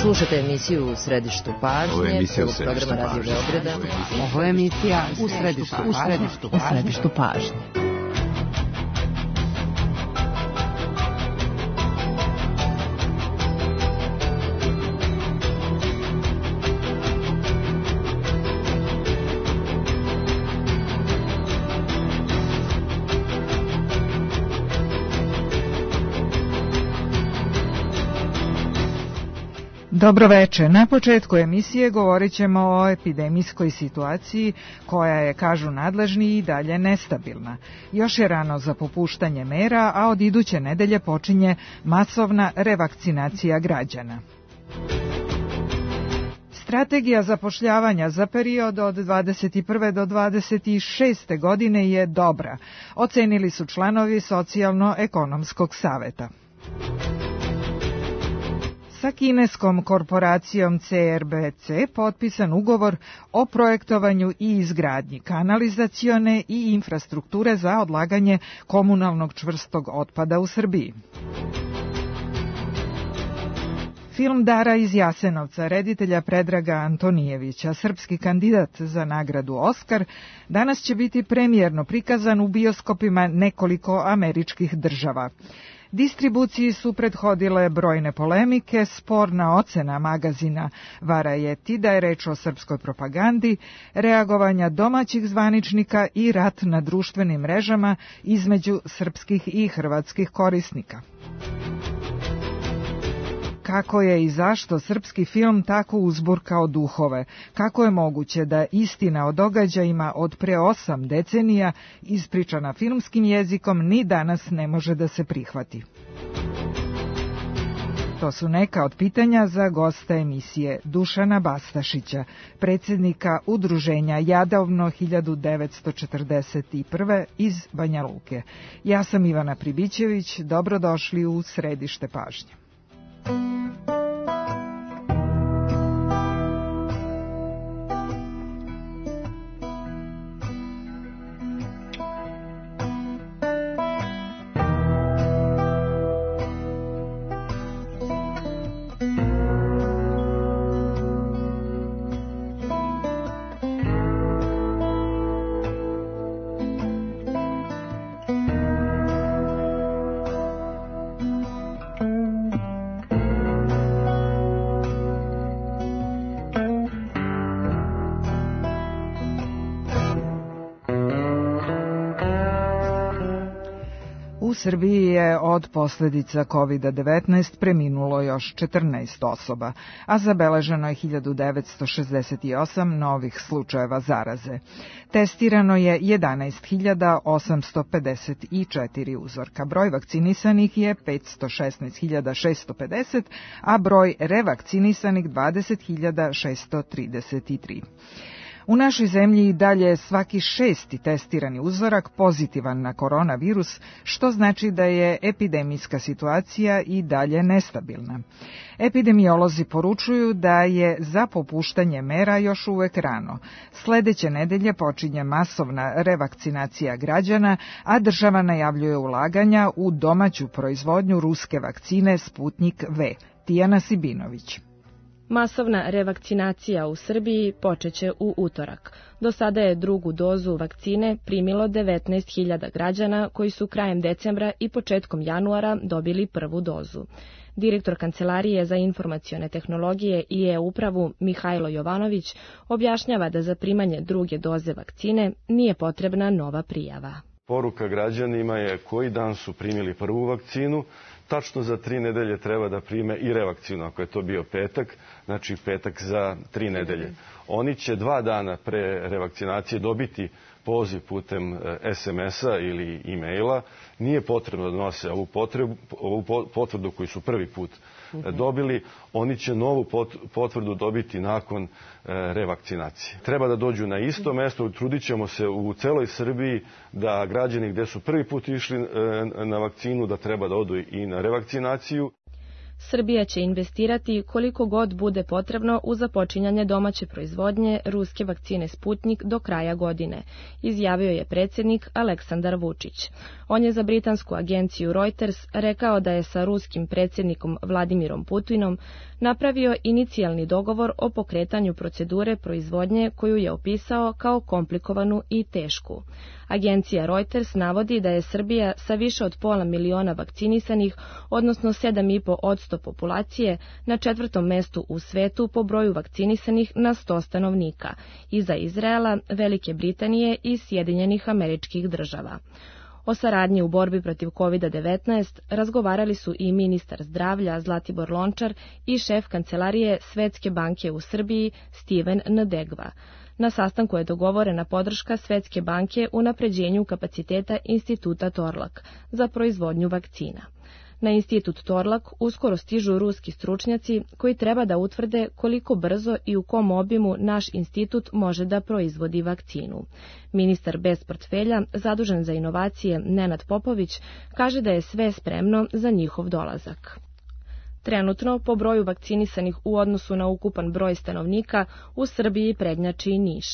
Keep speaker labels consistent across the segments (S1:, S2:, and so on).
S1: Slušajte emisiju U središtu pažnje, prvog programa Radio Beograda.
S2: Ovo je emisija U središtu pažnje.
S3: Dobro večer. Na početku emisije govorit ćemo o epidemijskoj situaciji koja je, kažu nadležni, i dalje nestabilna. Još je rano za popuštanje mera, a od iduće nedelje počinje masovna revakcinacija građana. Strategija zapošljavanja za period od 21. do 26. godine je dobra, ocenili su članovi Socijalno-ekonomskog saveta. Sa kineskom korporacijom CRBC potpisan ugovor o projektovanju i izgradnji kanalizacione i infrastrukture za odlaganje komunalnog čvrstog otpada u Srbiji. Film Dara iz Jasenovca reditelja Predraga Antonijevića, srpski kandidat za nagradu Oskar, danas će biti premijerno prikazan u bioskopima nekoliko američkih država. Distribuciji su prethodile brojne polemike, sporna ocena magazina Varajeti da je reč o srpskoj propagandi, reagovanja domaćih zvaničnika i rat na društvenim mrežama između srpskih i hrvatskih korisnika. Kako je i zašto srpski film tako uzburkao duhove? Kako je moguće da istina o događajima od pre 8 decenija, ispričana filmskim jezikom, ni danas ne može da se prihvati? To su neka od pitanja za gosta emisije Dušana Bastašića, predsjednika Udruženja Jadovno 1941. iz Banja Luke. Ja sam Ivana Pribićević, dobrodošli u Središte pažnje. U Srbiji je od posljedica COVID-19 preminulo još 14 osoba, a zabeleženo je 1968 novih slučajeva zaraze. Testirano je 11.854 uzorka. Broj vakcinisanih je 516.650, a broj revakcinisanih 20.633. U našoj zemlji i dalje svaki 6. testirani uzorak pozitivan na koronavirus, što znači da je epidemijska situacija i dalje nestabilna. Epidemiolozi poručuju da je za popuštanje mera još uvek rano. Sledeće nedelje počinje masovna revakcinacija građana, a država najavljuje ulaganja u domaću proizvodnju ruske vakcine Sputnjik V. Tijana Sibinović.
S4: Masovna revakcinacija u Srbiji počeće u utorak. Do sada je drugu dozu vakcine primilo 19.000 građana koji su krajem decembra i početkom januara dobili prvu dozu. Direktor Kancelarije za informacione tehnologije i e-upravu Mihajlo Jovanović objašnjava da za primanje druge doze vakcine nije potrebna nova prijava.
S5: Poruka građanima je koji dan su primili prvu vakcinu, tačno za 3 nedelje treba da prime i revakcinu, ako je to bio petak, znači petak za 3 nedelje. Oni će 2 dana pre revakcinacije dobiti poziv putem SMS-a ili e-maila. Nije potrebno da nose ovu potvrdu koju su prvi put dobili. Oni će novu potvrdu dobiti nakon revakcinacije. Treba da dođu na isto mesto. Trudit ćemo se u celoj Srbiji da građani gde su prvi put išli na vakcinu da treba da odu i na revakcinaciju.
S4: Srbija će investirati koliko god bude potrebno u započinjanje domaće proizvodnje ruske vakcine Sputnik do kraja godine, izjavio je predsjednik Aleksandar Vučić. On je za britansku agenciju Reuters rekao da je sa ruskim predsjednikom Vladimirom Putinom napravio inicijalni dogovor o pokretanju procedure proizvodnje koju je opisao kao komplikovanu i tešku. Agencija Reuters navodi da je Srbija sa više od 500.000 vakcinisanih, odnosno 7,5% populacije, na 4. mestu u svetu po broju vakcinisanih na 100 stanovnika, iza Izraela, Velike Britanije i Sjedinjenih Američkih Država. O saradnji u borbi protiv COVID-19 razgovarali su i ministar zdravlja Zlatibor Lončar i šef kancelarije Svetske banke u Srbiji Steven Ndegva. Na sastanku je dogovorena podrška Svetske banke u unapređenju kapaciteta Instituta Torlak za proizvodnju vakcina. Na Institut Torlak uskoro stižu ruski stručnjaci koji treba da utvrde koliko brzo i u kom obimu naš institut može da proizvodi vakcinu. Ministar bez portfelja, zadužen za inovacije Nenad Popović, kaže da je sve spremno za njihov dolazak. Trenutno, po broju vakcinisanih u odnosu na ukupan broj stanovnika, u Srbiji prednjači Niš.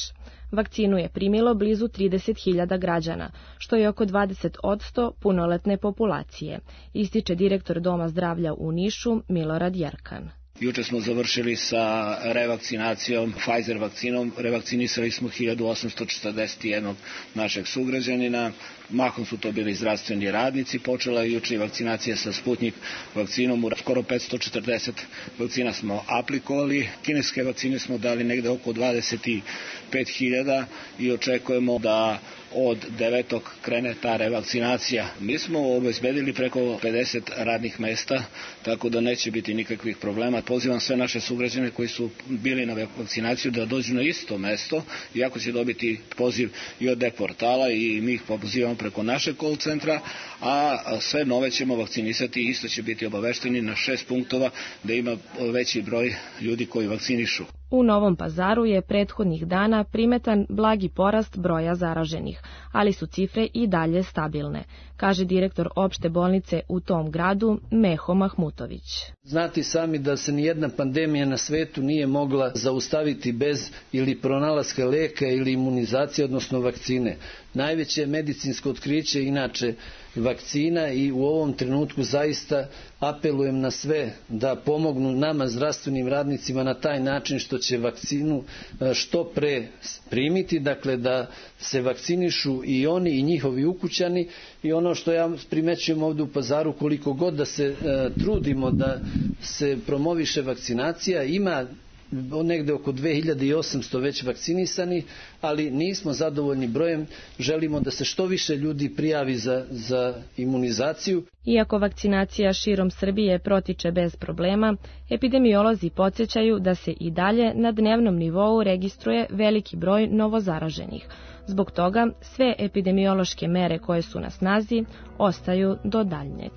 S4: Vakcinu je primilo blizu 30.000 građana, što je oko 20% punoletne populacije, ističe direktor Doma zdravlja u Nišu Milorad Jerkan.
S6: Juče smo završili sa revakcinacijom, Pfizer vakcinom, revakcinisali smo 1841 našeg sugrađanina, mahom su to bili zdravstveni radnici, počela je juče vakcinacija sa Sputnik vakcinom, skoro 540 vakcina smo aplikovali, kineske vakcine smo dali negde oko 25.000 i očekujemo da od 9. krene ta revakcinacija. Mi smo obezbedili preko 50 radnih mesta, tako da neće biti nikakvih problema. Pozivam sve naše sugrađane koji su bili na vakcinaciju da dođu na isto mesto, iako će dobiti poziv i od e-portala i mi ih pozivamo preko našeg call centra, a sve nove ćemo vakcinisati i isto će biti obavešteni na 6 punktova da ima veći broj ljudi koji vakcinišu.
S4: U Novom Pazaru je prethodnih dana primetan blagi porast broja zaraženih, ali su cifre i dalje stabilne, kaže direktor opšte bolnice u tom gradu Meho Mahmutović.
S7: Znate sami da se nijedna pandemija na svetu nije mogla zaustaviti bez ili pronalaska leka ili imunizacije, odnosno vakcine. Najveće medicinsko otkriće inače vakcina i u ovom trenutku zaista apelujem na sve da pomognu nama zdravstvenim radnicima na taj način što će vakcinu što pre primiti, dakle da se vakcinišu i oni i njihovi ukućani. I ono što ja primećujem ovdje u Pazaru, koliko god da se trudimo da se promoviše vakcinacija, ima negde oko 2800 već vakcinisani, ali nismo zadovoljni brojem, želimo da se što više ljudi prijavi za imunizaciju.
S4: Iako vakcinacija širom Srbije protiče bez problema, epidemiolozi podsjećaju da se i dalje na dnevnom nivou registruje veliki broj novozaraženih. Zbog toga sve epidemiološke mere koje su na snazi ostaju do daljnjeg.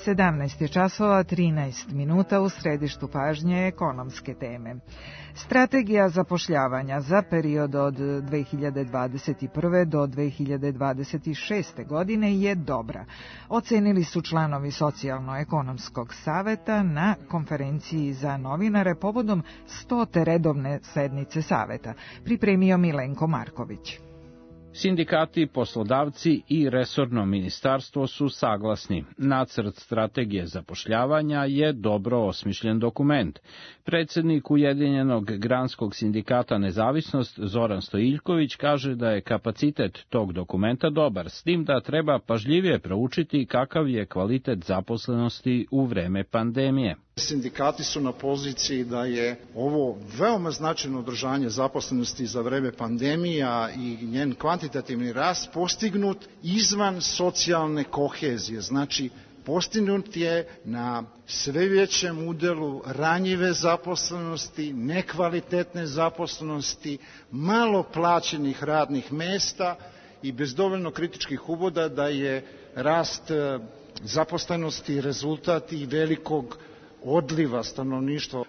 S3: 17 časova 13 minuta u središtu pažnje ekonomske teme. Strategija zapošljavanja za period od 2021. do 2026. godine je dobra. Ocenili su članovi Socijalno-ekonomskog saveta na konferenciji za novinare povodom 100. redovne sednice saveta. Pripremio Milenko Marković.
S8: Sindikati, poslodavci i resorno ministarstvo su saglasni. Nacrt strategije zapošljavanja je dobro osmišljen dokument. Predsjednik Ujedinjenog granskog sindikata Nezavisnost Zoran Stojiljković kaže da je kapacitet tog dokumenta dobar, s tim da treba pažljivije proučiti kakav je kvalitet zaposlenosti u vreme pandemije.
S9: Sindikati su na poziciji da je ovo veoma značajno održanje zaposlenosti za vreme pandemija i njen kvantitativni rast postignut izvan socijalne kohezije. Znači, postignut je na sve većem udelu ranjive zaposlenosti, nekvalitetne zaposlenosti, malo plaćenih radnih mesta i bez dovoljno kritičkih uvoda da je rast zaposlenosti rezultat i velikog odliva stanovništva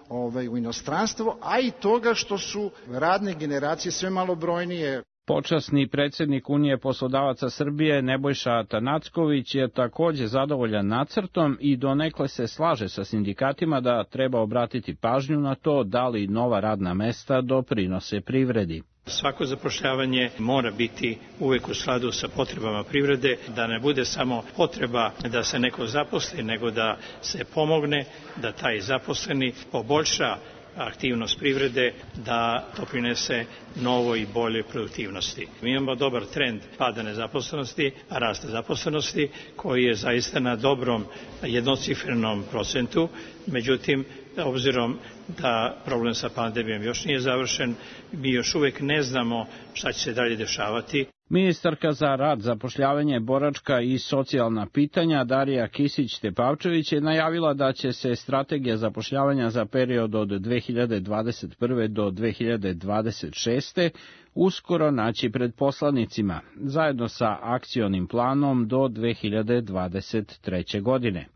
S9: u inostranstvo, a i toga što su radne generacije sve malobrojnije.
S8: Počasni predsjednik Unije poslodavaca Srbije Nebojša Atanacković je takođe zadovoljan nacrtom i donekle se slaže sa sindikatima da treba obratiti pažnju na to da li nova radna mesta doprinose privredi.
S10: Svako zapošljavanje mora biti uvek u skladu sa potrebama privrede, da ne bude samo potreba da se neko zaposli, nego da se pomogne da taj zaposleni poboljša aktivnost privrede, da doprinese novoj i boljoj produktivnosti. Mi imamo dobar trend pada nezaposlenosti, rasta zaposlenosti, koji je zaista na dobrom jednocifrenom procentu, međutim, obzirom da problem sa pandemijom još nije završen, mi još uvek ne znamo šta će se dalje dešavati.
S8: Ministarka za rad, zapošljavanje, boračka i socijalna pitanja Darija Kisić-Tepavčević je najavila da će se strategija zapošljavanja za period od 2021. do 2026. uskoro naći pred poslanicima, zajedno sa akcionim planom do 2023. godine.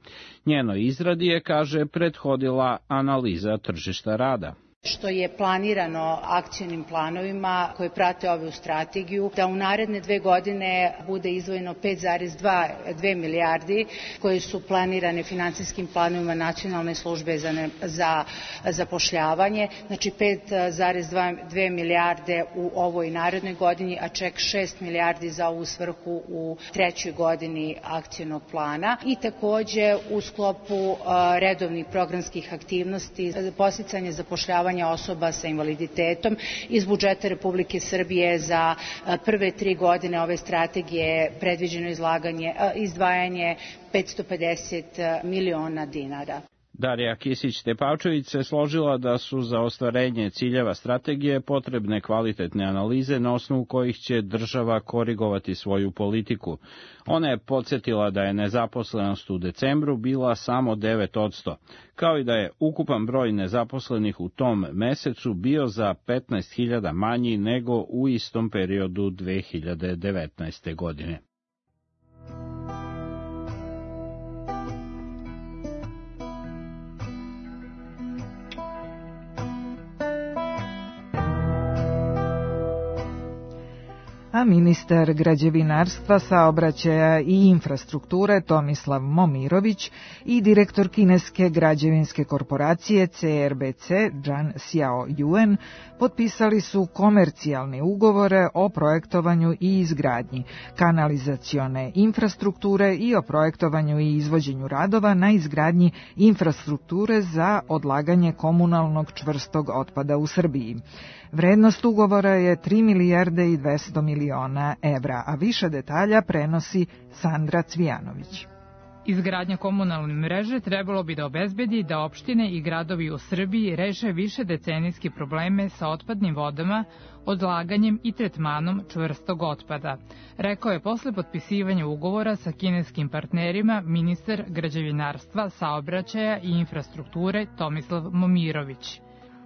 S8: Njenoj izradi je, kaže, prethodila analiza tržišta rada.
S11: Što je planirano akcionim planovima koje prate ovu strategiju, da u naredne 2 godine bude izdvojeno 5,2 milijardi koje su planirane finansijskim planovima Nacionalne službe za zapošljavanje, znači 5,2 milijarde u ovoj narednoj godini, a ček 6 milijardi za ovu svrhu u 3. godini akcionog plana i takođe u sklopu redovnih programskih aktivnosti podsticanje zapošljavanja osoba sa invaliditetom iz budžeta Republike Srbije za prve 3 godine ove strategije predviđeno izdvajanje 550 miliona dinara.
S8: Darija Kisić-Tepavčević se složila da su za ostvarenje ciljeva strategije potrebne kvalitetne analize na osnovu kojih će država korigovati svoju politiku. Ona je podsjetila da je nezaposlenost u decembru bila samo 9%, kao i da je ukupan broj nezaposlenih u tom mesecu bio za 15.000 manji nego u istom periodu 2019. godine.
S3: A ministar građevinarstva, saobraćaja i infrastrukture Tomislav Momirović i direktor kineske građevinske korporacije CRBC Zhang Xiaoyuan potpisali su komercijalne ugovore o projektovanju i izgradnji kanalizacione infrastrukture i o projektovanju i izvođenju radova na izgradnji infrastrukture za odlaganje komunalnog čvrstog otpada u Srbiji. Vrednost ugovora je 3 milijarde i 200 miliona evra, a više detalja prenosi Sandra Cvijanović.
S12: Izgradnja komunalne mreže trebalo bi da obezbedi da opštine i gradovi u Srbiji reše više decenijske probleme sa otpadnim vodama, odlaganjem i tretmanom čvrstog otpada, rekao je posle potpisivanja ugovora sa kineskim partnerima ministar građevinarstva, saobraćaja i infrastrukture Tomislav Momirović.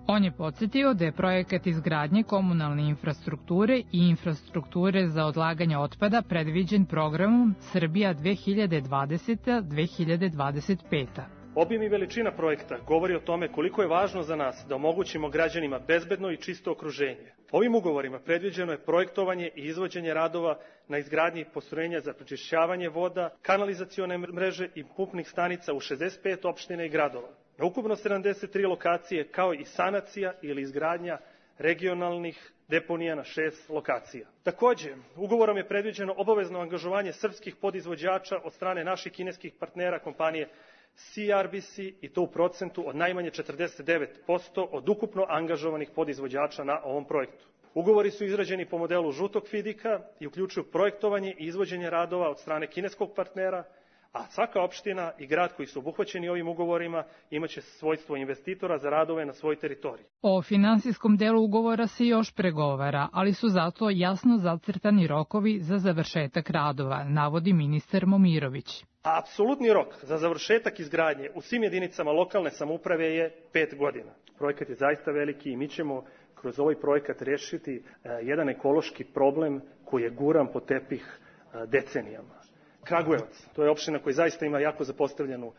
S12: On je podsjetio da je projekat izgradnje komunalne infrastrukture i infrastrukture za odlaganje otpada predviđen programom Srbija 2020-2025.
S13: Obim i veličina projekta govori o tome koliko je važno za nas da omogućimo građanima bezbedno i čisto okruženje. Ovim ugovorima predviđeno je projektovanje i izvođenje radova na izgradnji postrojenja za prečišćavanje voda, kanalizacione mreže i pumpnih stanica u 65 opština i gradova. Na ukupno 73 lokacije, kao i sanacija ili izgradnja regionalnih deponija na 6 lokacija. Takođe, ugovorom je predviđeno obavezno angažovanje srpskih podizvođača od strane naših kineskih partnera kompanije CRBC i to u procentu od najmanje 49% od ukupno angažovanih podizvođača na ovom projektu. Ugovori su izrađeni po modelu žutog fidika i uključuju projektovanje i izvođenje radova od strane kineskog partnera, a svaka opština i grad koji su obuhvaćeni ovim ugovorima imaće svojstvo investitora za radove na svojoj teritoriji.
S12: O finansijskom delu ugovora se još pregovara, ali su zato jasno zacrtani rokovi za završetak radova, navodi ministar Momirović.
S13: Apsolutni rok za završetak izgradnje u svim jedinicama lokalne samouprave je 5 godina. Projekat je zaista veliki i mi ćemo kroz ovaj projekat rešiti jedan ekološki problem koji je guran pod tepih decenijama. Kragujevac, to je opština koja zaista ima jako zapostavljenu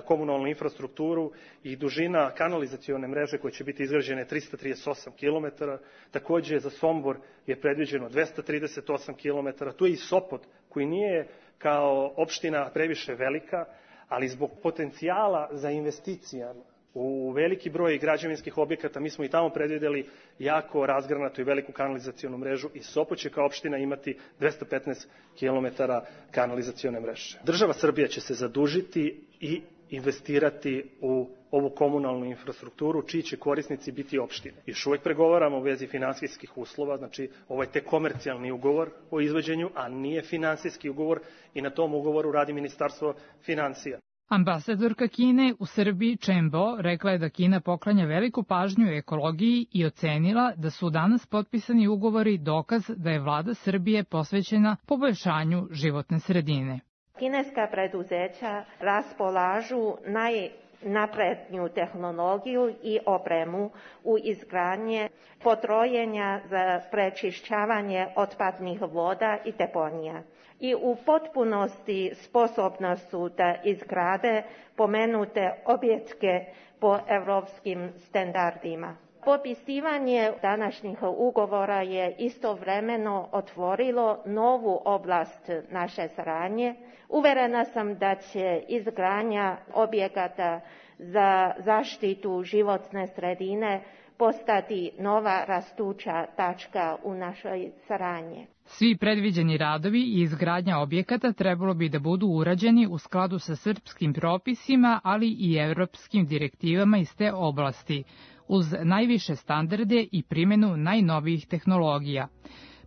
S13: komunalnu infrastrukturu i dužina kanalizacione mreže koja će biti izgrađena 338 km. Takođe za Sombor je predviđeno 238 km. Tu je i Sopot koji nije kao opština previše velika, ali zbog potencijala za investicijama u veliki broj građevinskih objekata mi smo i tamo predvideli jako razgranatu i veliku kanalizacionu mrežu i Sopot će kao opština imati 215 km kanalizacione mreže. Država Srbija će se zadužiti i investirati u ovu komunalnu infrastrukturu, čiji će korisnici biti opštine. Još uvek pregovaramo u vezi finansijskih uslova, znači ovo je tek komercijalni ugovor o izvođenju, a nije finansijski ugovor i na tom ugovoru radi Ministarstvo finansija.
S12: Ambasadorka Kine u Srbiji Chen Bo rekla je da Kina poklanja veliku pažnju ekologiji i ocenila da su danas potpisani ugovori dokaz da je vlada Srbije posvećena poboljšanju životne sredine.
S14: Kineska preduzeća raspolažu najnapredniju tehnologiju i opremu u izgradnje postrojenja za prečišćavanje otpadnih voda i deponija. I u potpunosti sposobna su da izgrade pomenute objekte po evropskim standardima. Potpisivanje današnjih ugovora je istovremeno otvorilo novu oblast naše saradnje. Uverena sam da će izgradnja objekata za zaštitu životne sredine postati nova rastuća tačka u našoj saradnji.
S12: Svi predviđeni radovi i izgradnja objekata trebalo bi da budu urađeni u skladu sa srpskim propisima, ali i evropskim direktivama iz te oblasti, uz najviše standarde i primjenu najnovijih tehnologija.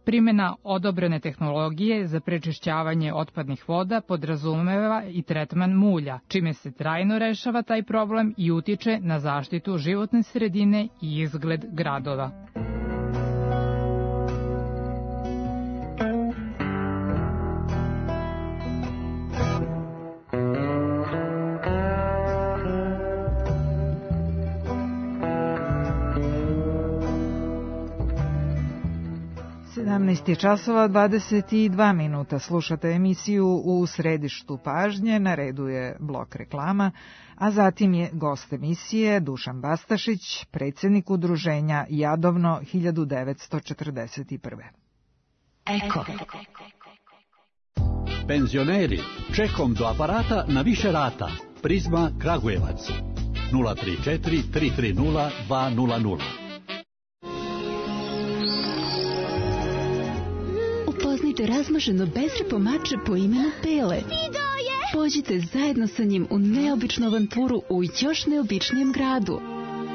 S12: Primjena odobrene tehnologije za prečišćavanje otpadnih voda podrazumeva i tretman mulja, čime se trajno rešava taj problem i utiče na zaštitu životne sredine i izgled gradova.
S3: časova 22 minuta. Slušate emisiju U središtu pažnje, na redu je blok reklama, a zatim je gost emisije Dušan Bastašić, predsjednik udruženja Jadovno 1941.
S15: Eko. Penzioneri, čekom do aparata na više rata. Prizma Kragujevac 034 330 200.
S16: Upoznajte razmaženo bezrepo mače po imenu Pele. Pođite zajedno sa njim u neobičnu avanturu u još neobičnijem gradu.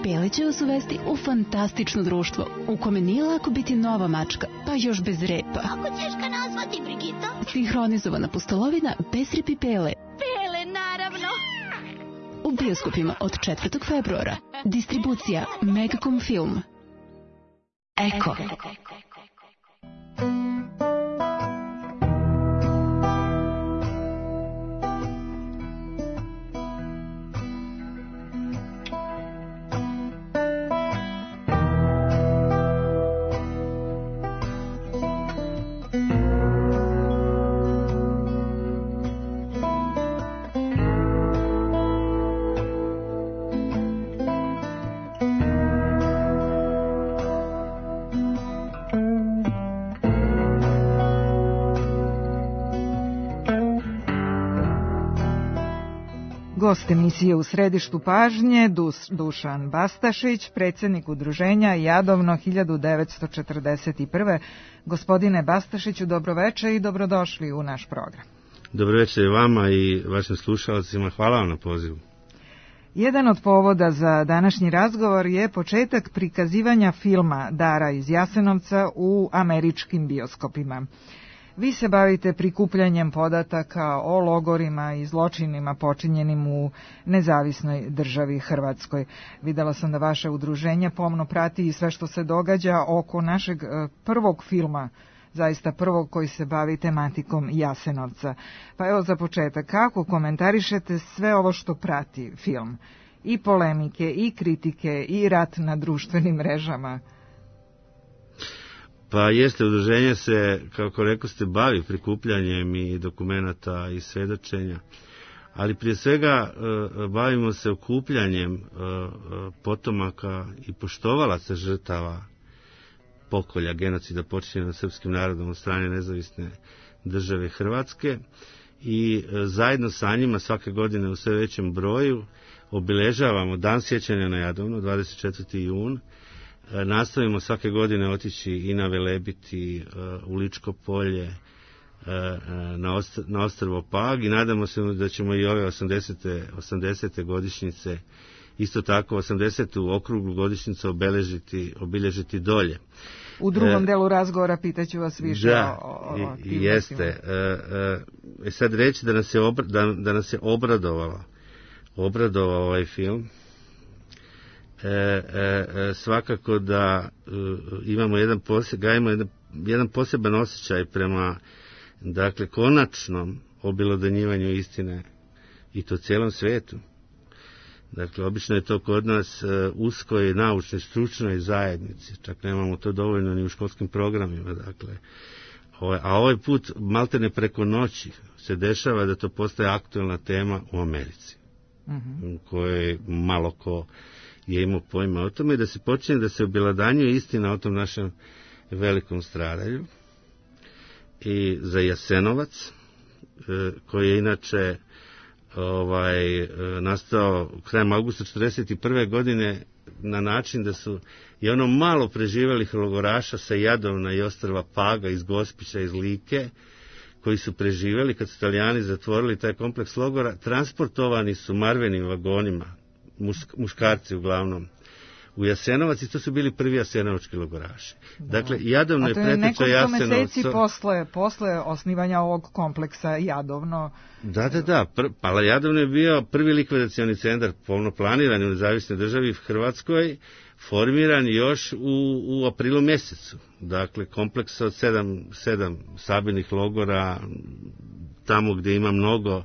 S16: Pele će vas uvesti u fantastično društvo, u kome nije lako biti nova mačka, pa još bez repa.
S17: Kako ćeš ga nazvati, Brigito?
S16: Sinhronizovana pustolovina bez repi Pele.
S17: Pele, naravno.
S16: U bioskopima od 4. februara. Distribucija Megacom Film. Eko.
S3: Gost emisije U središtu pažnje, Dušan Bastašić, predsjednik udruženja Jadovno 1941. Gospodine Bastašiću, dobroveče i dobrodošli u naš program.
S18: Dobroveče i vama i vašim slušalcima, hvala vam na pozivu.
S3: Jedan od povoda za današnji razgovor je početak prikazivanja filma Dara iz Jasenovca u američkim bioskopima. Vi se bavite prikupljanjem podataka o logorima i zločinima počinjenim u nezavisnoj državi Hrvatskoj. Videla sam da vaše udruženje pomno prati i sve što se događa oko našeg prvog filma, zaista prvog koji se bavi tematikom Jasenovca. Pa evo za početak, kako komentarišete sve ovo što prati film? I polemike, i kritike, i rat na društvenim mrežama?
S18: Pa jeste, udruženje se, kako rekao ste, bavi prikupljanjem i dokumenata i svedočenja, ali prije svega bavimo se okupljanjem potomaka i poštovalaca žrtava pokolja genocida počinjenog nad srpskim narodom od strane nezavisne države Hrvatske i zajedno sa njima svake godine u sve većem broju obilježavamo Dan sjećanja na Jadovno, 24. jun. Nastavimo svake godine otići i na Velebit i u Ličko polje, na ostrvo Pag i nadamo se da ćemo i ove 80. godišnjice, isto tako 80. okruglu godišnjicu obilježiti dolje.
S3: U drugom delu razgovora pitaću vas više o aktivnostima.
S18: Jeste. Sad reći da nas je obradovao ovaj film. Svakako da imamo jedan poseban osjećaj prema, dakle, konačnom obelodanjivanju istine i to cijelom svijetu. Dakle, obično je to kod nas uskoj naučnoj, stručnoj zajednici, čak nemamo to dovoljno ni u školskim programima, dakle. A ovaj put, maltene preko noći, se dešava da to postaje aktualna tema u Americi, koje malo ko je imao pojma o tome, da se počne da se obelodanjuje istina o tom našem velikom stradalju i za Jasenovac, koji je inače nastao krajem augusta 1941. godine na način da su i ono malo preživelih logoraša sa Jadovna i ostrva Paga, iz Gospića, iz Like, koji su preživjeli kad su Italijani zatvorili taj kompleks logora, transportovani su marvenim vagonima, muškarci uglavnom, u Jasenovac i to su bili prvi jasenovački logoraši. Dakle, Jadovno je preteča Jasenovcu. A to je nekoliko
S3: meseci posle osnivanja ovog kompleksa Jadovno.
S18: Da. Pa Jadovno je bio prvi likvidacioni centar polno planiran u nezavisnoj državi v Hrvatskoj, formiran još u aprilu mjesecu. Dakle, kompleks od 7 sabirnih logora, tamo gdje ima mnogo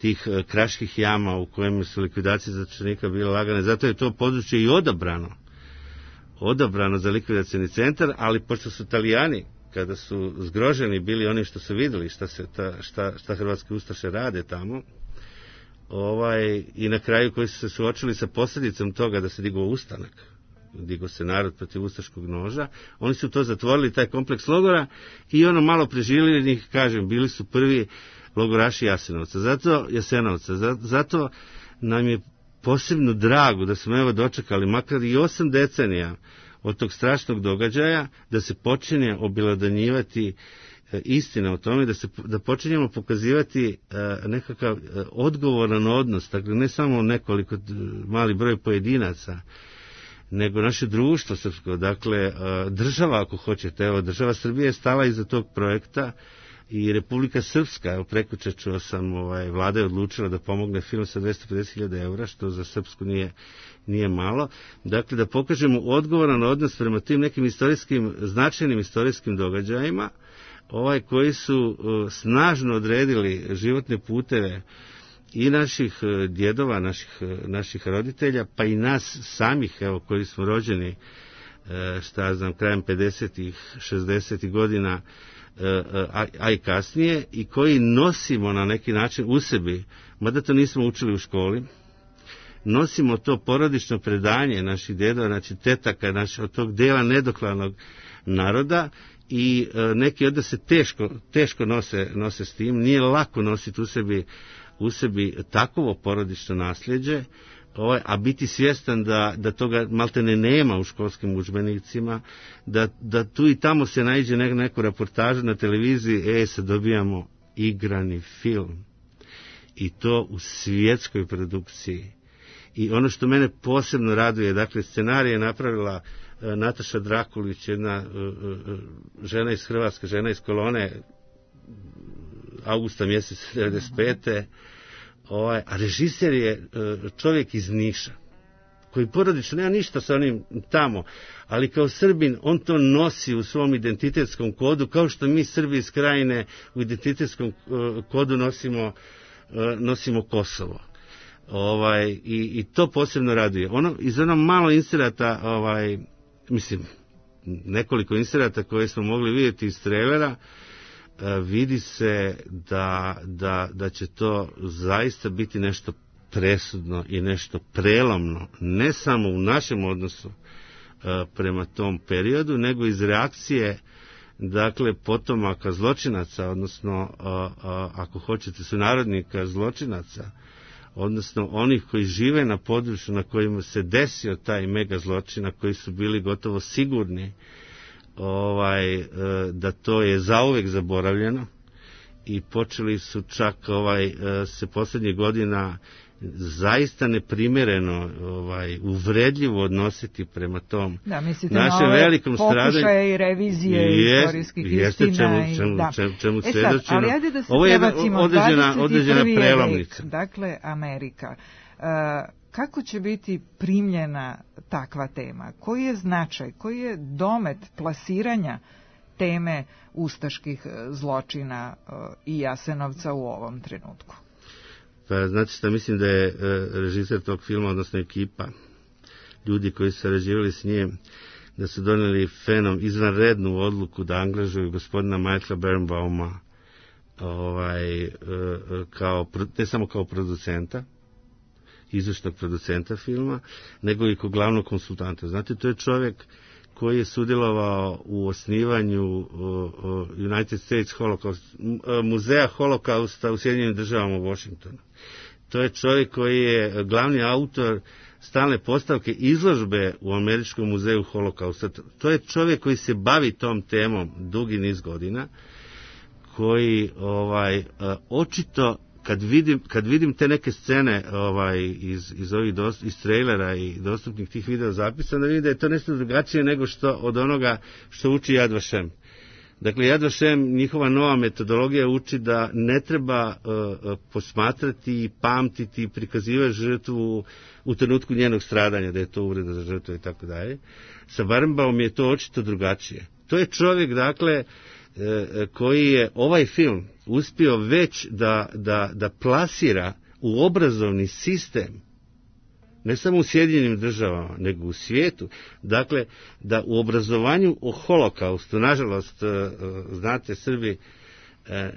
S18: tih kraških jama u kojem su likvidacije zatočenika bile lagane. Zato je to područje i odabrano za likvidacioni centar, ali pošto su Italijani, kada su zgroženi bili oni što su vidjeli šta hrvatske ustaše rade tamo, i na kraju koji su se suočili sa posljedicom toga da se digao ustanak, digao se narod protiv ustaškog noža, oni su to zatvorili, taj kompleks logora, i ono malo preživljenih, kažem, bili su prvi logoraši Jasenovca. Zato nam je posebno drago da smo evo dočekali makar i 8 decenija od tog strašnog događaja, da se počinje obelodanjivati istina o tome, da počinjemo pokazivati nekakav odgovoran odnos, dakle ne samo nekoliko mali broj pojedinaca, nego naše društvo srpsko, dakle država, ako hoćete, evo država Srbije je stala iza tog projekta i Republika Srpska, evo prekjučer čuo sam, vlada je odlučila da pomogne film sa 250.000 eura, što za Srpsku nije malo. Dakle, da pokažemo odgovoran odnos prema tim nekim značajnim istorijskim događajima, koji su snažno odredili životne puteve i naših djedova, naših roditelja, pa i nas samih, evo, koji smo rođeni, krajem 50-ih, 60-ih godina, a i kasnije, i koji nosimo na neki način u sebi, mada to nismo učili u školi, nosimo to porodično predanje naših djedova, znači tetaka, od tog dela nedokladnog naroda, i neki od se teško nose s tim. Nije lako nositi u sebi takovo porodično nasljeđe, a biti svjestan da toga maltene nema u školskim udžbenicima, da tu i tamo se naiđe neku reportažu na televiziji, sad dobijamo igrani film, i to u svjetskoj produkciji. I ono što mene posebno raduje, dakle, scenarij je napravila Nataša Drakulić, jedna žena iz Hrvatske, žena iz Kolone, augusta mjesec 1995. A režiser je čovjek iz Niša, koji porodično nema ništa sa onim tamo, ali kao Srbin on to nosi u svom identitetskom kodu, kao što mi Srbi iz Krajine u identitetskom kodu nosimo Kosovo. I to posebno raduje. Iz onog malo inserata, nekoliko inserata koje smo mogli vidjeti iz trailera, vidi se da će to zaista biti nešto presudno i nešto prelomno, ne samo u našem odnosu prema tom periodu, nego iz reakcije, dakle, potomaka zločinaca, odnosno, ako hoćete, sunarodnika zločinaca, odnosno onih koji žive na području na kojima se desio taj mega zločin, koji su bili gotovo sigurni da to je zauvek zaboravljeno, i počeli su čak se posljednjih godina zaista neprimjereno uvredljivo odnositi prema tom našem velikom stradanju.
S3: Pokušaje i revizije istorijskih istina.
S18: Čemu svjedočimo.
S3: Ali ajde da se
S18: ovo je određena prelomnica.
S3: Dakle, Amerika. Kako će biti primljena takva tema? Koji je značaj, koji je domet plasiranja teme ustaških zločina i Jasenovca u ovom trenutku?
S18: Pa znate šta, mislim da je režiser tog filma, odnosno ekipa, ljudi koji su sarađivali s njim, da su donijeli izvanrednu odluku da angažuju gospodina Michaela Birnbauma ne samo kao producenta, izvršnog producenta filma, nego i kao glavnog konsultanta. Znate, to je čovjek koji je sudjelovao u osnivanju United States muzeja holokausta u Sjedinjenim Državama u Washingtonu. To je čovjek koji je glavni autor stalne postavke izložbe u Američkom muzeju holokausta. To je čovjek koji se bavi tom temom dugi niz godina, koji očito kad vidim te neke scene iz trailera i dostupnih tih video zapisa, da vidim da je to nešto drugačije nego od onoga što uči Yad Vashem. Dakle, Yad Vashem, njihova nova metodologija uči da ne treba posmatrati, pamtiti i prikazivati žrtvu u trenutku njenog stradanja, da je to uvreda za žrtvu i tako dalje. Sa Birnbaumom je to očito drugačije. To je čovjek, dakle, koji je ovaj film uspio već da plasira u obrazovni sistem, ne samo u Sjedinjenim Državama, nego u svijetu. Dakle, da u obrazovanju o holokaustu, nažalost, znate, Srbi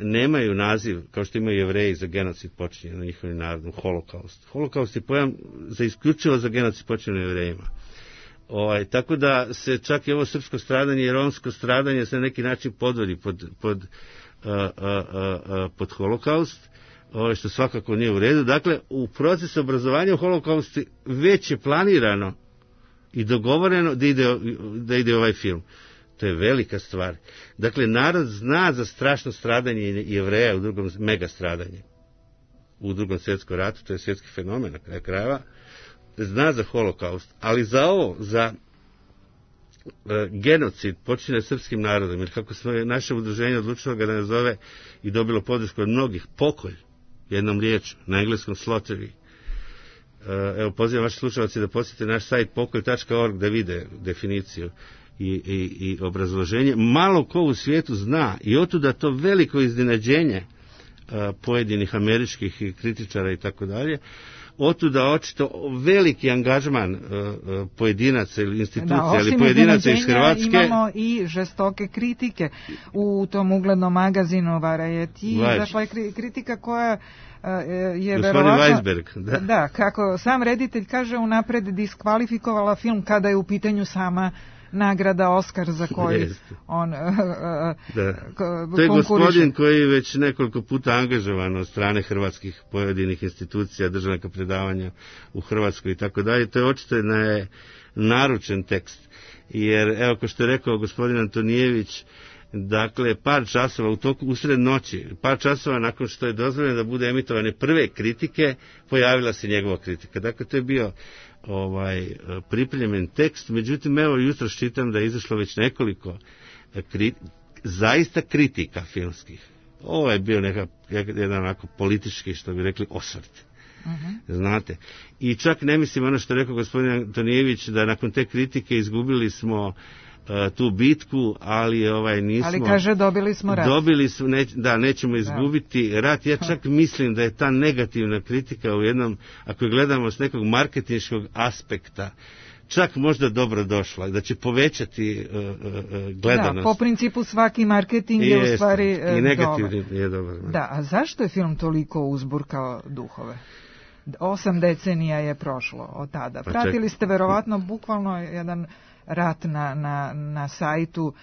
S18: nemaju naziv, kao što imaju Jevreji, za genocid počinjen na njihovim narodom, holokaust. Holokaust je pojam isključivo za genocid počinjen na Jevrejima. Tako da se čak i ovo srpsko stradanje i romsko stradanje se na neki način podvodi pod holokaust, što svakako nije u redu. Dakle, u procesu obrazovanja u holokaustu već je planirano i dogovoreno da ide ovaj film. To je velika stvar. Dakle, narod zna za strašno stradanje Jevreja u drugom mega stradanje. U Drugom svjetskom ratu, to je svjetski fenomen na kraju krajeva, zna za holokaust, ali za genocid počinjen srpskim narodom, jer kako smo naše udruženje odlučilo ga da nazove i dobilo podršku od mnogih, pokolj, jednom riječu, na engleskom slaughtery. Evo, pozivam vaše slušalce da posjete naš sajt pokolj.org da vide definiciju i obrazloženje. Malo ko u svijetu zna, i otuda to veliko iznenađenje pojedinih američkih kritičara i tako dalje, otuda očito veliki angažman pojedinaca ili institucija ili pojedinaca iz Hrvatske.
S3: Imamo i žestoke kritike u tom uglednom magazinu Variety. Dakle, kritika koja je verovatno...
S18: Weisberg,
S3: da, kako sam reditelj kaže, unapred diskvalifikovala film kada je u pitanju sama nagrada Oskar za koji on
S18: to je gospodin koji je već nekoliko puta angažovan od strane hrvatskih pojedinih institucija, državnog predavanja u Hrvatskoj i tako dalje. To je očito naručen tekst. Jer, evo, kao što je rekao gospodin Antonijević, dakle, par časova usred noći, par časova nakon što je dozvoljeno da bude emitovane prve kritike, pojavila se njegova kritika. Dakle, to je bio pripremljen tekst, međutim, evo, jutros čitam da je izašlo već nekoliko zaista kritika filmskih. Ovo je bio jedan onako politički, što bi rekli, osvrt. Znate. I čak ne mislim ono što je rekao gospodin Antonijević, da nakon te kritike izgubili smo tu bitku, ali nismo...
S3: Ali kaže, dobili smo rat.
S18: Nećemo izgubiti rat. Ja čak mislim da je ta negativna kritika u jednom, ako je gledamo s nekog marketinškog aspekta, čak možda dobro došla, da će povećati gledanost.
S3: Da, po principu svaki marketing je u stvari
S18: i negativni je dobar.
S3: Da, a zašto je film toliko uzburkao duhove? 8 decenija je prošlo od tada. Pratili ste verovatno bukvalno jedan rat na sajtu,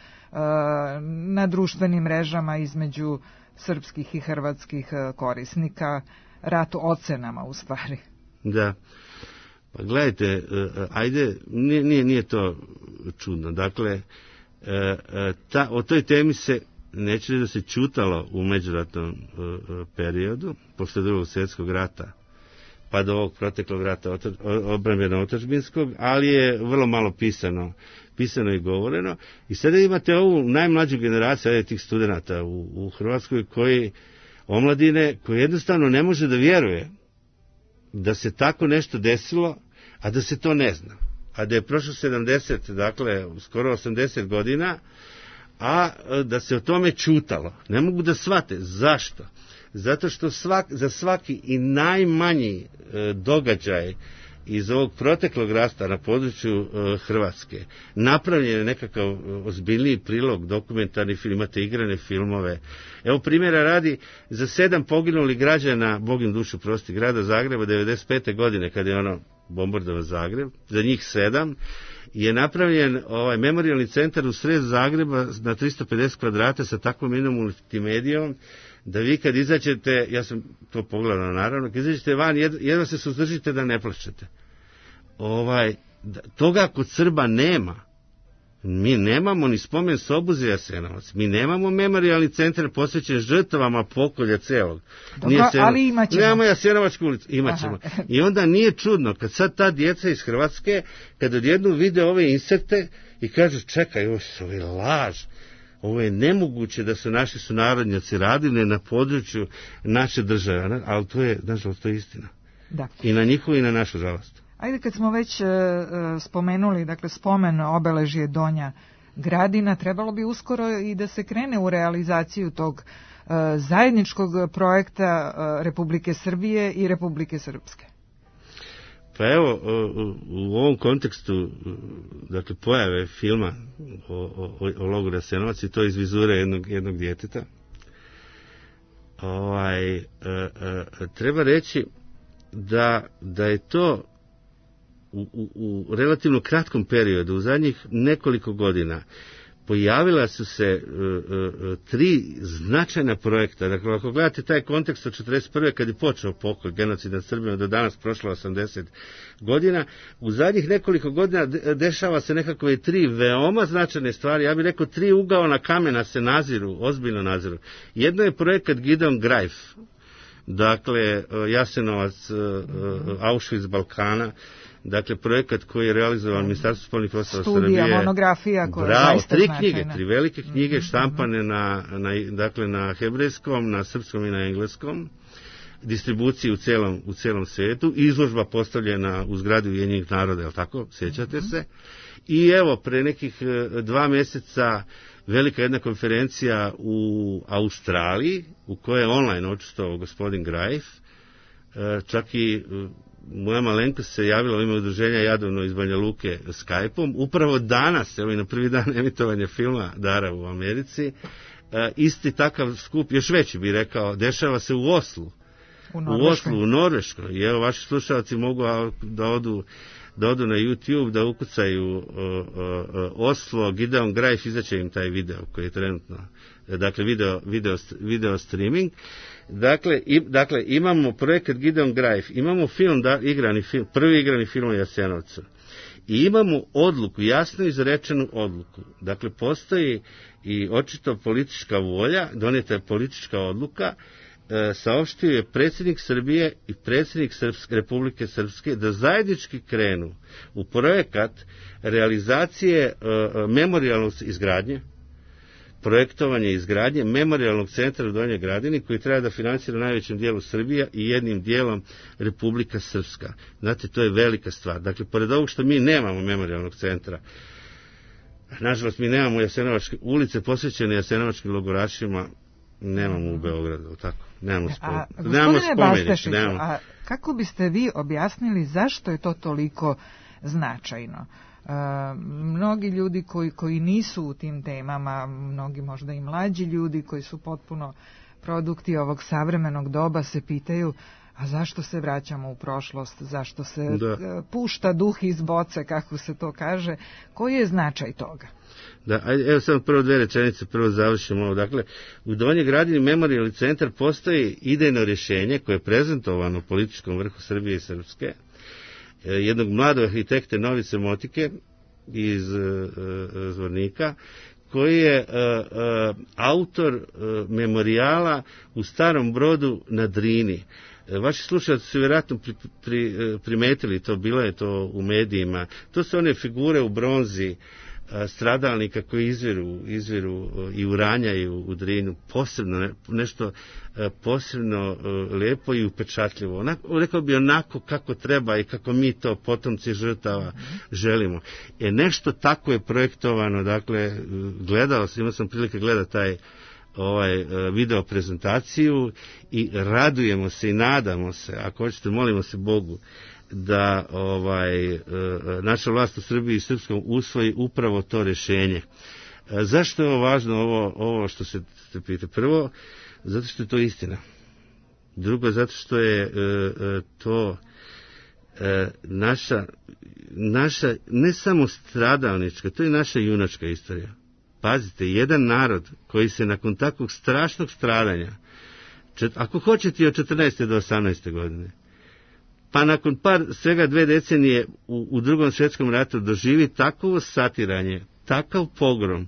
S3: na društvenim mrežama između srpskih i hrvatskih korisnika, rat ocenama u stvari.
S18: Da. Pa gledajte, ajde, nije to čudno. Dakle, o toj temi se, neće da se čutalo u međuratnom periodu, posle Drugog svjetskog rata, pa do ovog proteklog rata odbrambeno-otadžbinskog, ali je vrlo malo pisano i govoreno. I sada imate ovu najmlađu generaciju tih studenata u Hrvatskoj, omladine, koji jednostavno ne može da vjeruje da se tako nešto desilo, a da se to ne zna. A da je prošlo 70, dakle, skoro 80 godina, a da se o tome čutalo. Ne mogu da shvate. Zašto? Zato što za svaki i najmanji događaj iz ovog proteklog rata na području Hrvatske napravljen je nekakav ozbiljniji prilog, dokumentarni film, imate igrane filmove. Evo primjera radi, za 7 poginulih građana, Bog im dušu prosti, grada Zagreba 95. godine, kada je bombardovan Zagreb, za njih 7, je napravljen memorijalni centar u sred Zagreba na 350 kvadrata sa takvom jednom multimedijom, da vi kad izađete, ja sam to pogledao naravno, kad izađete van, jedva se suzdržite da ne plačete. Toga kod Srba nema. Mi nemamo ni spomen sobu za Jasenovac, mi nemamo memorijalni centar posvećen žrtvama pokolja celog.
S3: Ali imat ćemo.
S18: Nemamo Jasenovačku ulicu, imat ćemo. I onda nije čudno, kad sad ta djeca iz Hrvatske, kad odjednom vide ove inserte i kažu, čekaj, ovo je laž. Ovo je nemoguće da su naši sunarodnjaci radili na području naše države, ali to je, nažalost, to je istina.
S3: Da.
S18: I na njihovu i na našu žalost.
S3: Ajde, kad smo već spomenuli, dakle, spomen obeležje Donja Gradina, trebalo bi uskoro i da se krene u realizaciju tog zajedničkog projekta Republike Srbije i Republike Srpske.
S18: Pa evo, u ovom kontekstu, dakle, pojave filma o logoru Jasenovac, i to iz vizure jednog djeteta, treba reći da je to u relativno kratkom periodu, u zadnjih nekoliko godina, pojavila su se 3 značajna projekta. Dakle, ako gledate taj kontekst od 1941. kad je počeo pokolj, genocid nad Srbima, do danas prošlo 80 godina, u zadnjih nekoliko godina dešava se nekakve 3 veoma značajne stvari. Ja bih rekao 3 ugaona kamena se naziru, ozbiljno naziru. Jedno je projekat Gideon Greif, dakle, Jasenovac, Auschwitz Balkana, dakle, projekat koji je realizovan Ministarstvo spoljnih poslova Srbije.
S3: Studija, monografija koja je zaista značajna.
S18: 3 knjige, 3 velike knjige, štampane na hebrejskom, na srpskom i na engleskom, distribuciji u celom svijetu, izložba postavljena u zgradi Ujedinjenih naroda, je li tako? Sjećate se? I evo, pre nekih 2 mjeseca velika jedna konferencija u Australiji, u kojoj je online učestvovao gospodin Greif, čak i moja malenkost se javila u ime udruženja Jadovno iz Banja Luke Skype-om. Upravo danas, evo i na prvi dan emitovanja filma Dara u Americi, isti takav skup, još veći bih rekao, dešava se u Oslu. U Norveškoj. I evo, vaši slušalci mogu da odu na YouTube, da ukucaju Oslo, Gideon Greif, izaće im taj video koji je trenutno, dakle, video streaming. Dakle, imamo projekat Gideon Greif, imamo prvi igrani film o Jasenovcu. I imamo odluku, jasno izrečenu odluku. Dakle, postoji i očito politička volja, donijeta je politička odluka, saopštio je predsjednik Srbije i predsjednik Republike Srpske da zajednički krenu u projekat realizacije memorijalnog izgradnje, projektovanje izgradnje memorijalnog centra u Donjoj Gradini, koji treba da financira najvećem dijelu Srbija i jednim dijelom Republika Srpska. Znate, to je velika stvar. Dakle, pored ovog što mi nemamo memorijalnog centra, nažalost mi nemamo Jasenovačke ulice posvećene jasenovačkim logorašima, nemamo u Beogradu, tako? Nemamo
S3: spomenište. A kako biste vi objasnili zašto je to toliko značajno. Mnogi ljudi koji nisu u tim temama, mnogi možda i mlađi ljudi koji su potpuno produkti ovog savremenog doba se pitaju, a zašto se vraćamo u prošlost, zašto se pušta duh iz boce, kako se to kaže, koji je značaj toga?
S18: Da, evo samo prvo dve rečenice, prvo završimo ovo. Dakle, u Donjoj Gradini memorijalni centar postoji idejno rješenje koje je prezentovano u političkom vrhu Srbije i Srpske, jednog mladog arhitekte Novice Motike iz Zvornika, koji je autor memorijala u Starom Brodu na Drini. Vaši slušalci su vjerojatno primetili to, bilo je to u medijima. To su one figure u bronzi stradalnika koji izviru i uranjaju u Drinu, posebno nešto posebno lijepo i upečatljivo. Rekao bi onako kako treba i kako mi to potomci žrtava želimo. Nešto tako je projektovano, dakle, imao sam prilike gledati taj video prezentaciju i radujemo se i nadamo se, ako hoćete molimo se Bogu da naša vlast u Srbiji i Srpskom usvoji upravo to rješenje. Zašto je ovo važno, ovo što se pita? Prvo, zato što je to istina. Drugo, zato što je to naša ne samo stradalnička, to je naša junačka istorija. Pazite, jedan narod koji se nakon takvog strašnog stradanja, ako hoćete od 14. do 18. godine, pa nakon svega 2 decenije u Drugom svjetskom ratu doživi takvo satiranje, takav pogrom,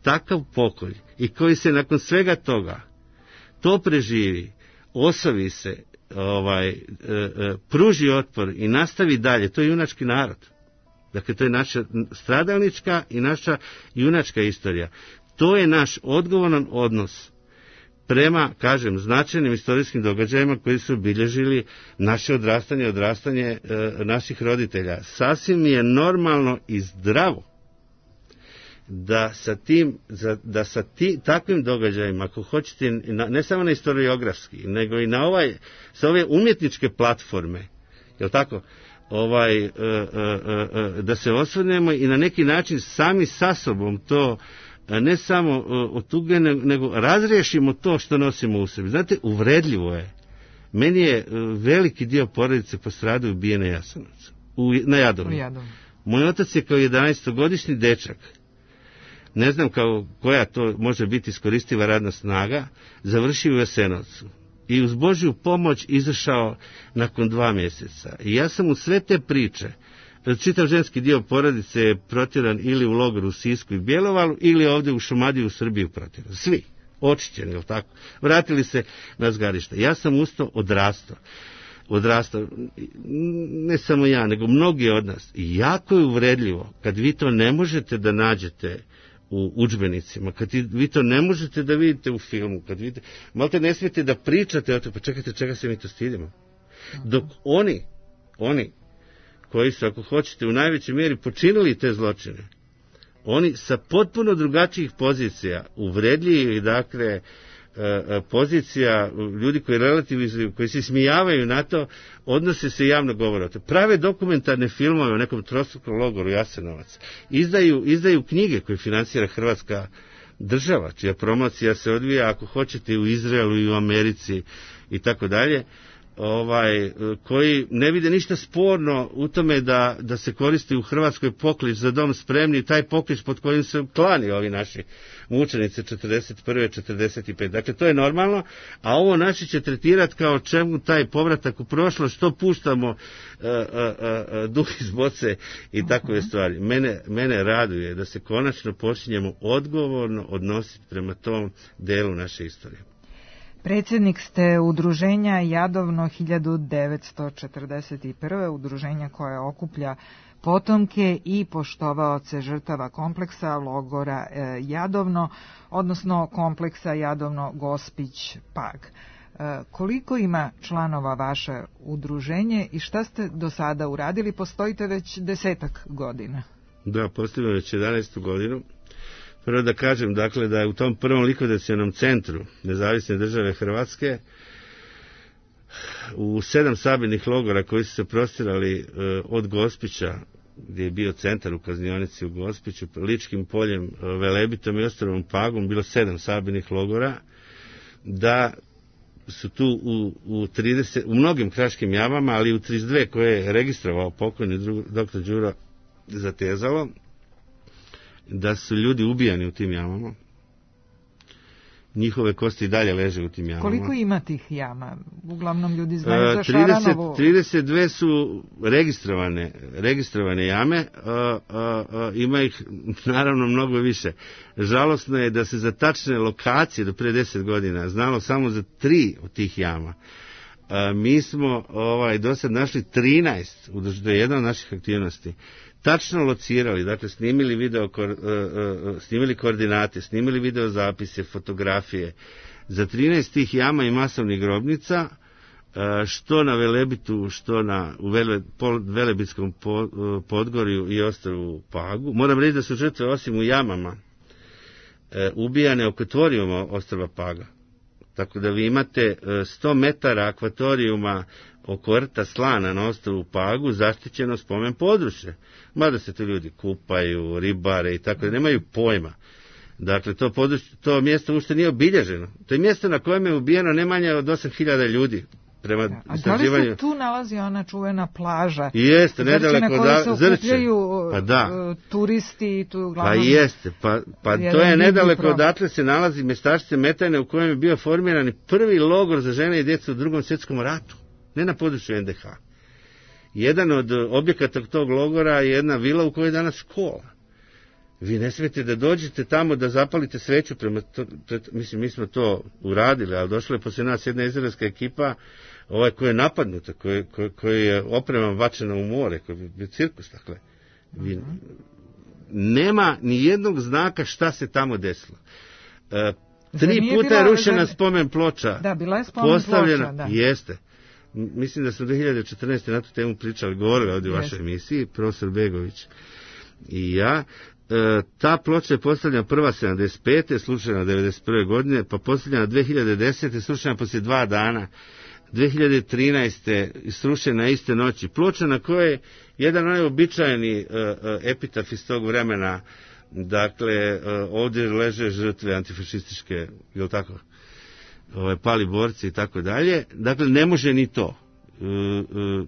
S18: takav pokolj i koji se nakon svega toga to preživi, osovi se, pruži otpor i nastavi dalje, to je junački narod. Dakle, to je naša stradalnička i naša junačka istorija. To je naš odgovoran odnos prema, kažem, značajnim istorijskim događajima koji su obilježili naše odrastanje naših roditelja. Sasvim je normalno i zdravo da sa takvim događajima, ako hoćete, ne samo na historiografski, nego i sa ove umjetničke platforme, jel tako, da se osvrnemo i na neki način sami sa sobom to ne samo otuge, nego razriješimo to što nosimo u sebi. Znate, uvredljivo je. Meni je veliki dio porodice postradao i ubijen na Jasenovcu, na Jadovnu. Moj otac je kao 11-godišnji dečak, ne znam koja to može biti iskoristiva radna snaga, završio u Jasenovcu i uz Božju pomoć izašao nakon 2 mjeseca. I ja sam u sve te priče, čitav ženski dio porodice je protjeran ili u logoru u Sisku i Bjelovaru ili ovdje u Šumadiji u Srbiji protjeran. Svi, očišćeni, jel tako? Vratili se na zgarište. Ja sam usto odrastao, ne samo ja, nego mnogi od nas. I jako je uvredljivo kad vi to ne možete da nađete u udžbenicima, kad vi to ne možete da vidite u filmu, kad vidite, malte ne smijete da pričate o to, pa čekajte, čega se mi to stidimo. Dok oni koji su, ako hoćete, u najvećoj mjeri počinili te zločine, oni sa potpuno drugačijih pozicija, uvredljivih, dakle, pozicija ljudi koji relativizuju, koji se smijavaju na to, odnose se javno govore o to. Prave dokumentarne filmove o nekom trostrukom logoru Jasenovac. Izdaju knjige koje financira Hrvatska država, čija promocija se odvija, ako hoćete, u Izraelu i u Americi i tako dalje, koji ne vide ništa sporno u tome da se koristi u Hrvatskoj poklič za dom spremni, taj poklič pod kojim se klani ovi naši mučenici 41. 45. Dakle, to je normalno, a ovo naši će tretirati kao čemu taj povratak u prošlost, što puštamo duh iz boce i takve stvari. Mene raduje da se konačno počinjemo odgovorno odnositi prema tom delu naše istorije.
S3: Predsjednik ste udruženja Jadovno 1941. udruženja koje okuplja potomke i poštovaoce žrtava kompleksa logora Jadovno, odnosno kompleksa Jadovno-Gospić-Pag. Koliko ima članova vaše udruženje i šta ste do sada uradili? Postojite već 10 godina.
S18: Da, postojimo već 11. godinu. Prvo da kažem, dakle, da je u tom prvom likvidacionom centru Nezavisne države Hrvatske u 7 sabirnih logora koji su se prostirali od Gospića gdje je bio centar u kaznionici u Gospiću, Ličkim poljem, Velebitom i ostrvom Pagom, bilo 7 sabirnih logora, da su tu u mnogim kraškim jamama, ali u 32 koje je registrovao pokojni dr. Đuro Zatezalo, da su ljudi ubijani u tim jamama. Njihove kosti i dalje leže u tim jamama.
S3: Koliko ima tih jama? Uglavnom ljudi znaju za Šaranovu.
S18: 32 su registrovane jame, ima ih naravno mnogo više. Žalosno je da se za tačne lokacije do pre 10 godina znalo samo za 3 od tih jama. Mi smo do sad našli 13, to je jedna od naših aktivnosti, tačno locirali, dakle snimili koordinate, snimili videozapise, fotografije za 13 tih jama i masovnih grobnica, što na Velebitu, što u Velebitskom Podgorju i ostrvu Pagu. Moram reći da su žrtve osim u jamama ubijane oko akvatorijuma ostrva Paga. Tako da vi imate 100 metara akvatorijuma oko rta Slana na ostrvu Pagu zaštićeno spomen područje. Mada se tu ljudi kupaju, ribare i tako da nemaju pojma. Dakle, to mjesto uopšte nije obilježeno. To je mjesto na kojem je ubijeno ne manje od 8.000 ljudi.
S3: A da li se tu nalazi ona čuvena plaža?
S18: Jeste, nedaleko
S3: Zrče. Pa da. Turisti tu uglavnom...
S18: Pa jeste, pa to je nedaleko odatle se nalazi mjestačice Metajne u kojem je bio formiran prvi logor za žene i djecu u Drugom svjetskom ratu. Ne na području NDH. Jedan od objekata tog logora je jedna vila u kojoj je danas škola. Vi ne smijete da dođete tamo da zapalite sveću mislim, mi smo to uradili, ali došla je poslije nas jedna izraelska ekipa koja je napadnuta, koja je opremom bačena u more, koji je bio cirkus, dakle. Nema ni jednog znaka šta se tamo desilo. 3 puta je rušena spomen ploča.
S3: Da, bila je spomen ploča, da.
S18: Jeste. Mislim da smo 2014. na tu temu pričali, govorili ovdje u vašoj emisiji, profesor Begović i ja. Ta ploča je postavljena prva 75. slučajna 91. godine, pa postavljena 2010. slučajna poslije 2 dana, 2013. srušena iste noći. Ploča na kojoj je jedan običajni epitaf iz tog vremena, dakle, ovdje leže žrtve antifašističke, jel tako, pali borci i tako dalje, dakle, ne može ni to.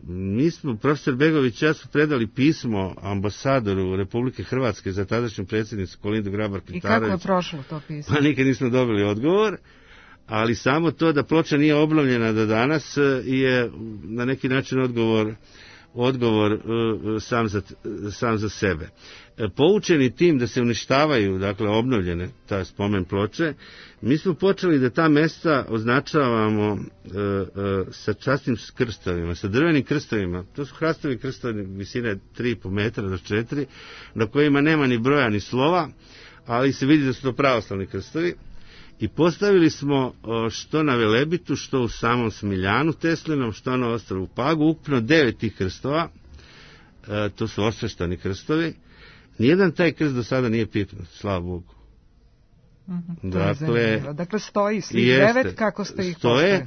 S18: Mi smo, profesor Begović i ja smo predali pismo ambasadoru Republike Hrvatske za tadašnju predsjednicu Kolindu Grabar-Kitarović.
S3: I kako je prošlo to pismo?
S18: Pa nikad nismo dobili odgovor, ali samo to da ploča nije obnovljena do danas je na neki način odgovor sam za sebe. Poučeni tim da se uništavaju, dakle, obnovljene ta spomen ploče, mi smo počeli da ta mesta označavamo sa časnim krstovima, sa drvenim krstovima. To su hrastovi krstovi visine 3,5 metra do 4, na kojima nema ni broja ni slova, ali se vidi da su to pravoslavni krstovi. I postavili smo što na Velebitu, što u samom Smiljanu Teslinom, što na ostrvu Pagu, ukupno 9 tih krstova. To su osveštani krstovi. Nijedan taj krst do sada nije pipnut, slava Bogu.
S3: Dakle, stoji svi 9 kako ste ih postavili.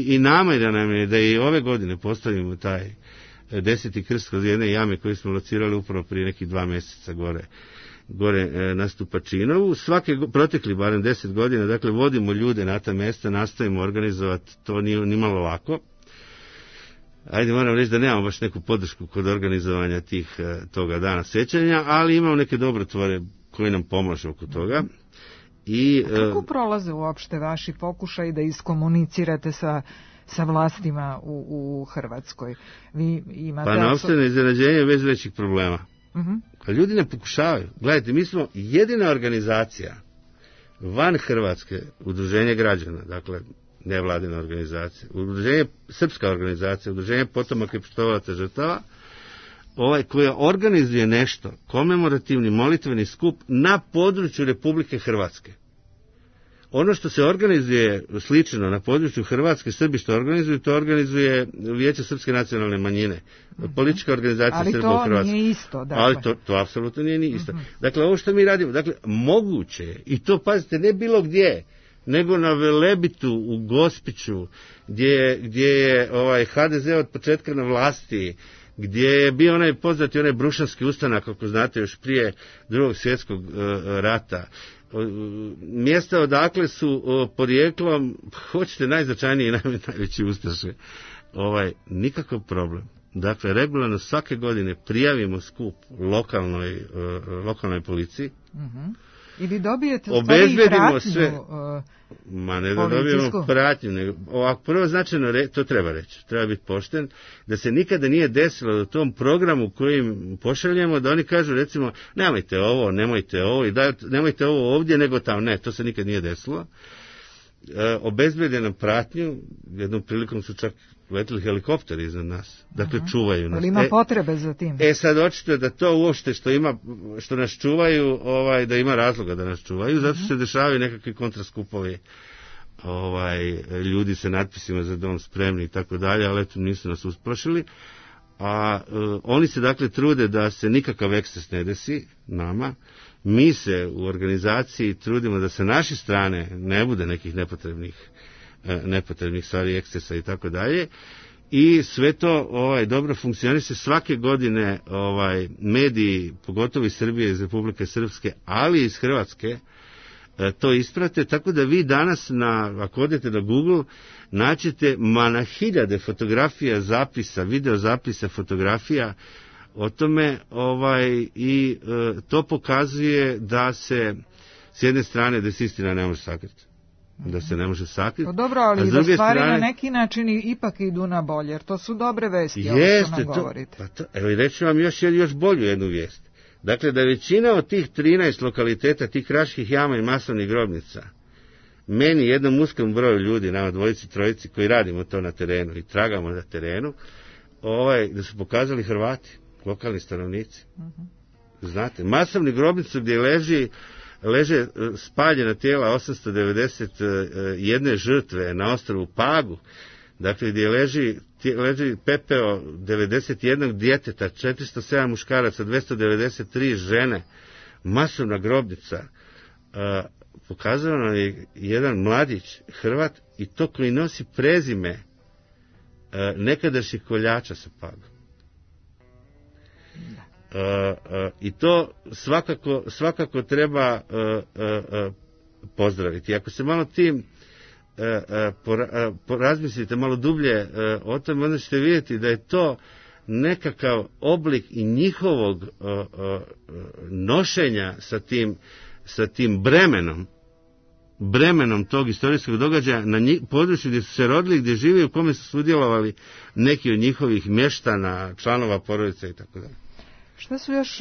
S18: I namjera nam je da i ove godine postavimo taj 10. krst kroz jedne jame koje smo locirali upravo prije nekih 2 mjeseca gore na Stupačinovu. Protekli barem 10 godina, dakle, vodimo ljude na ta mjesta, nastavimo organizovati, to nije ni malo lako. Ajde, moram reći da nemamo baš neku podršku kod organizovanja toga dana sjećanja, ali imamo neke dobrotvore koji nam pomažu oko toga.
S3: Kako prolaze uopšte vaši pokušaj da iskomunicirate sa vlastima u Hrvatskoj? Vi imate
S18: pa na opšteno iznenađenje bez većih problema. A ljudi ne pokušavaju. Gledajte, mi smo jedina organizacija van Hrvatske, udruženje građana, dakle, nevladina organizacija, srpska organizacija, udruženje potomaka i poštovalaca žrtava, koja organizuje nešto, komemorativni molitveni skup na području Republike Hrvatske. Ono što se organizuje slično na području Hrvatske, Srbi što organizuju, to organizuje Vijeće srpske nacionalne manjine, politička organizacija Srba u Hrvatskoj.
S3: Ali to nije isto. Dakle.
S18: Ali to apsolutno nije ni isto. Dakle, ovo što mi radimo, dakle, moguće je, i to, pazite, ne bilo gdje, nego na Velebitu, u Gospiću, gdje je HDZ od početka na vlasti, gdje je bio onaj poznati, onaj Brušanski ustanak, ako znate, još prije Drugog svjetskog rata. Mjesta odakle su porijeklom, hoćete, najznačajniji i najveći ustaše. Nikakav problem. Dakle, regularno svake godine prijavimo skup lokalnoj policiji.
S3: I vi dobijete
S18: obezbedimo
S3: pratnju,
S18: sve. Ma ne da dobijemo pratnju, nego ovako prvo značajno, to treba reći, treba biti pošten, da se nikada nije desilo da u tom programu kojim pošaljemo, da oni kažu recimo nemojte ovo i nemojte ovo ovdje nego tamo. Ne, to se nikad nije desilo. Obezbede nam pratnju, jednom prilikom su čak letili helikopteri iznad nas, dakle čuvaju nas.
S3: Ali ima potrebe za tim.
S18: Sad očito da to uopšte što nas čuvaju, da ima razloga da nas čuvaju, zato što se dešavaju nekakvi kontraskupovi, ljudi sa natpisima za dom spremni i tako dalje, ali eto nisu nas usplašili. A oni se dakle trude da se nikakav eksces ne desi nama. Mi se u organizaciji trudimo da sa naše strane ne bude nekih nepotrebnih stvari, ekscesa i tako dalje. I sve to dobro funkcioniše. Svake godine mediji, pogotovo iz Srbije, iz Republike Srpske, ali i iz Hrvatske, to isprate, tako da vi danas, ako odete na Google, naćete na hiljade fotografija, zapisa, video zapisa, fotografija o tome, i to pokazuje da se, s jedne strane, da se istina ne može sakriti. Da se ne može sakriti.
S3: Pa dobro, ali da stvari na neki način ipak idu na bolje, jer to su dobre vesti, ovo što nam govorite.
S18: Evo i reći vam još bolju jednu vijest. Dakle, da većina od tih 13 lokaliteta, tih kraških jama i masovnih grobnica, meni, jednom uskom broju ljudi, nama dvojici, trojici koji radimo to na terenu i tragamo na terenu, da su pokazali Hrvati, lokalni stanovnici. Znate, masovni grobnicu gdje leže spaljena tijela 891 žrtve na ostrvu Pagu, dakle gdje leži pepeo 91 djeteta, 407 muškaraca, 293 žene, masovna grobnica. Pokazano nam je jedan mladić, Hrvat, i to koji nosi prezime nekadašnjih koljača sa Paga. I to svakako treba pozdraviti. Ako se malo tim porazmislite malo dublje o tome, onda ćete vidjeti da je to nekakav oblik i njihovog nošenja sa tim bremenom tog istorijskog događaja na području gdje su se rodili, gdje žive, u kome su sudjelovali neki od njihovih mještana, članova porodice i tako dalje.
S3: Šta su još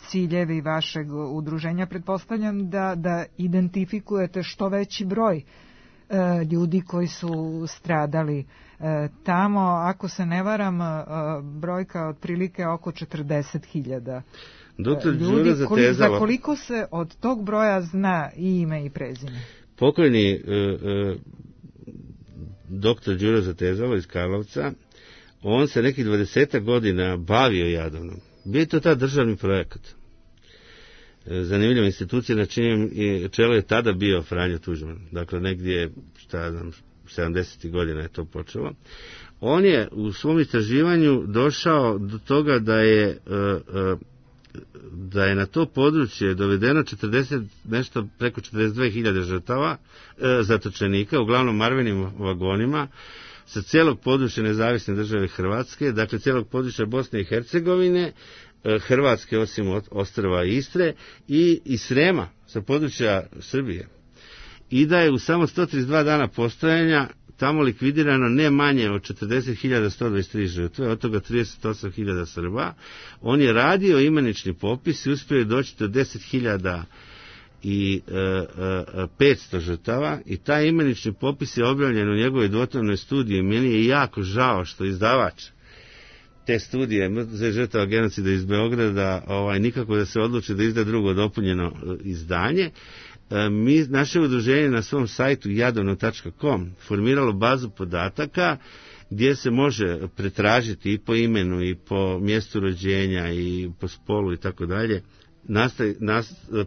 S3: ciljevi vašeg udruženja? Pretpostavljam da identifikujete što veći broj ljudi koji su stradali tamo. Ako se ne varam, brojka otprilike oko 40.000 ljudi. Za koliko se od tog broja zna i ime i prezime?
S18: Pokojni doktor Đuro Zatezalo iz Karlovca, on se nekih 20 godina bavio Jadovnom. Bio je to taj državni projekat. Zanimljiva institucija, na čijem čelu je tada bio Franjo Tuđman. Dakle, negdje, 70. godina je to počelo. On je u svom istraživanju došao do toga da je na to područje dovedeno preko 42.000 žrtava, zatočenika, uglavnom marvenim vagonima, sa cijelog područja nezavisne države Hrvatske, dakle cijelog područja Bosne i Hercegovine, Hrvatske osim ostrva Istre i Srema, sa područja Srbije. I da je u samo 132 dana postojanja tamo likvidirano ne manje od 40.123 žrtve, od toga 38.000 Srba. On je radio imenični popis i uspio je doći do 10.500 žrtava i taj imenični popis je objavljen u njegovoj dvotomnoj studiji. Meni je jako žao što izdavač te studije Muzej žrtava genocida iz Beograda nikako da se odluči da izda drugo dopunjeno izdanje. Naše udruženje na svom sajtu jadovno.com formiralo bazu podataka gdje se može pretražiti i po imenu i po mjestu rođenja i po spolu i tako dalje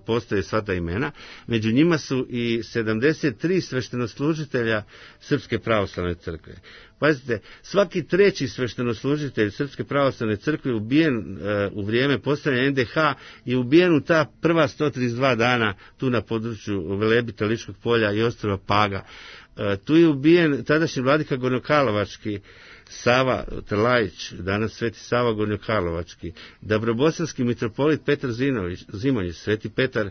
S18: postoje sva ta imena. Među njima su i 73 sveštenoslužitelja Srpske pravoslavne crkve. Pazite, svaki treći sveštenoslužitelj Srpske pravoslavne crkve ubijen u vrijeme postavljanja NDH je ubijen u ta prva 132 dana tu na području Velebita, Ličkog polja i ostrva Paga. Tu je ubijen tadašnji vladika Gornjokarlovački Sava Trlajić, danas Sveti Sava Gornjokarlovački, Dabrobosanski mitropolit Petar Zimonjić, Sveti Petar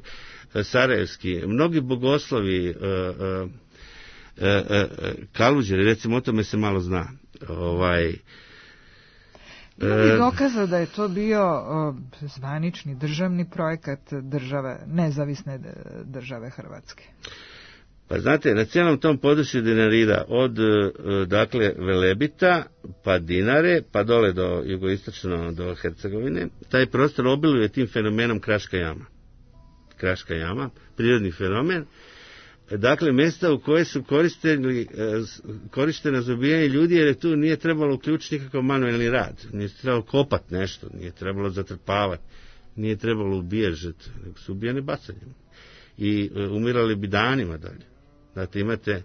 S18: Sarajevski, mnogi bogoslovi, Kaluđeri, recimo o tome se malo zna.
S3: Ima li dokaza da je to bio zvanični državni projekat države, nezavisne države Hrvatske?
S18: Pa znate, na cijelom tom području Dinarida, od dakle Velebita, pa Dinare, pa dole do jugoistočno do Hercegovine, taj prostor obiluje tim fenomenom Kraška jama. Kraška jama, prirodni fenomen. Dakle, mjesta u koje su korištena za ubijanje ljudi, jer tu nije trebalo uključiti nikakav manuelni rad, nije trebalo kopati nešto, nije trebalo zatrpavati, nije trebalo ubijati žrtve, nego su ubijani bacanjem. I umirali bi danima dalje. Znate, imate,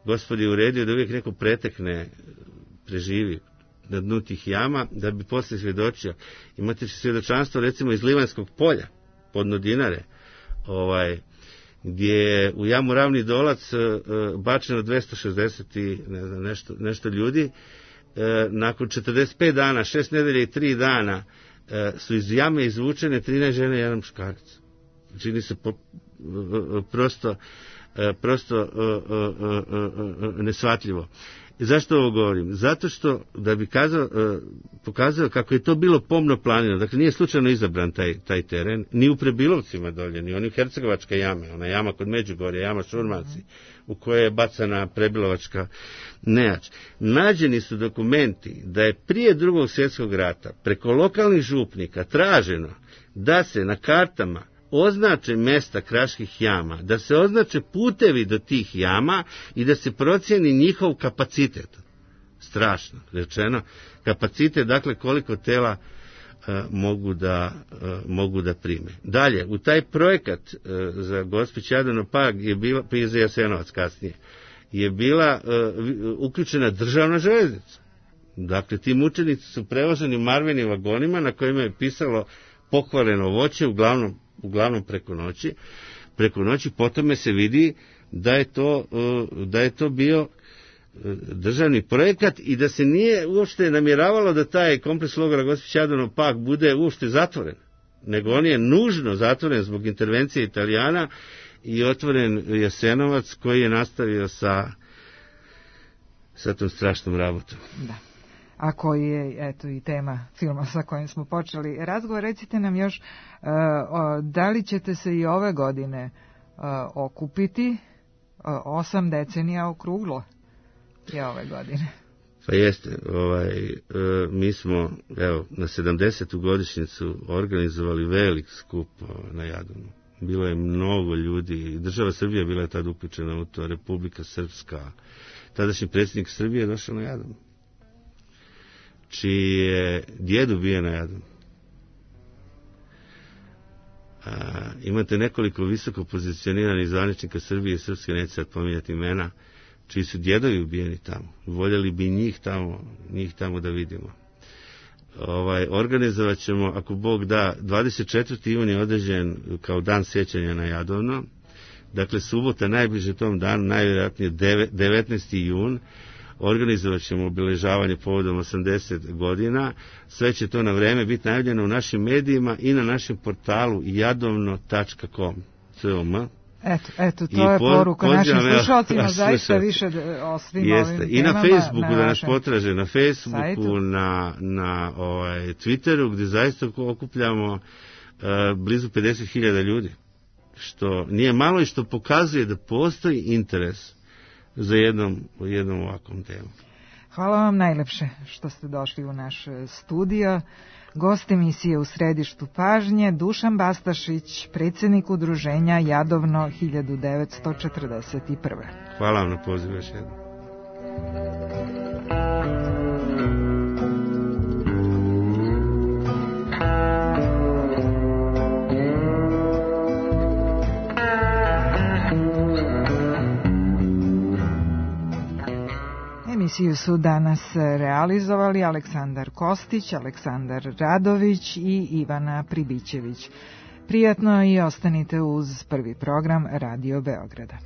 S18: Gospod je uredio da uvijek neko pretekne, preživi na dnu tih jama, da bi poslije svjedočio. Imate svjedočanstvo, recimo, iz Livanskog polja, podno Dinare, gdje je u jamu Ravni Dolac bačeno 260 i nešto ljudi. Nakon 45 dana, 6 nedelja i 3 dana su iz jame izvučene 13 žene i 1 muškarac. Čini se prosto nesvatljivo. Zašto ovo govorim? Zato što, da bi pokazao kako je to bilo pomno planirano, dakle nije slučajno izabran taj teren, ni u Prebilovcima dolje, ni oni u Hercegovačke jame, ona jama kod Međugorja, jama Šurmanci, u kojoj je bacana Prebilovačka nejač. Nađeni su dokumenti da je prije Drugog svjetskog rata preko lokalnih župnika traženo da se na kartama označe mjesta kraških jama, da se označe putevi do tih jama i da se procijeni njihov kapacitet. Strašno rečeno. Kapacitet, dakle, koliko tela mogu da prime. Dalje, u taj projekat za Gospić Jadovno Pag je bila, prije za Jasenovac kasnije, je bila uključena državna željeznica. Dakle, ti mučenici su prevoženi marvenim vagonima na kojima je pisalo pokvareno voće, uglavnom preko noći, potom se vidi da je to bio državni projekat i da se nije uopšte namjeravalo da taj kompleks logora Gospić Jadovno Pag bude uopšte zatvoren, nego on je nužno zatvoren zbog intervencije Italijana i otvoren Jasenovac koji je nastavio sa tom strašnom rabotom.
S3: Da. A koji je, eto, i tema filma sa kojim smo počeli razgovor. Recite nam još, da li ćete se i ove godine okupiti? 8 decenija okruglo je ove godine.
S18: Pa jeste, mi smo, evo, na 70. godišnjicu organizovali velik skup na Jadovnu. Bilo je mnogo ljudi, država Srbija bila je tada uključena u to, Republika Srpska, tadašnji predsjednik Srbije je došao na Jadovnu, čiji je djed ubijen na Jadovnu. Imate nekoliko visoko pozicioniranih zvaničnika Srbije i Srpske, neću sad pominjati imena, čiji su djedovi ubijeni tamo. Voljeli bi njih tamo da vidimo. Organizovat ćemo, ako Bog da, 24. juni određen kao dan sjećanja na Jadovno. Dakle, subota najbliže tom danu, najvjerojatnije 19. jun, organizovat ćemo obilježavanje povodom 80 godina. Sve će to na vreme biti najavljeno u našim medijima i na našem portalu jadovno.com.
S3: Eto, to je poruka našim slušalcima, zaista više o svim ovim temama.
S18: I na Facebooku, da nas potraže, na Facebooku, na Twitteru, gdje zaista okupljamo blizu 50.000 ljudi, što nije malo i što pokazuje da postoji interes za jednom ovakvom temom.
S3: Hvala vam najlepše što ste došli u naš studio. Gost emisije U središtu pažnje, Dušan Bastašić, predsjednik udruženja Jadovno 1941.
S18: Hvala vam na pozivu još jednom.
S3: Emisiju su danas realizovali Aleksandar Kostić, Aleksandar Radović i Ivana Pribićević. Prijatno i ostanite uz prvi program Radio Beograda.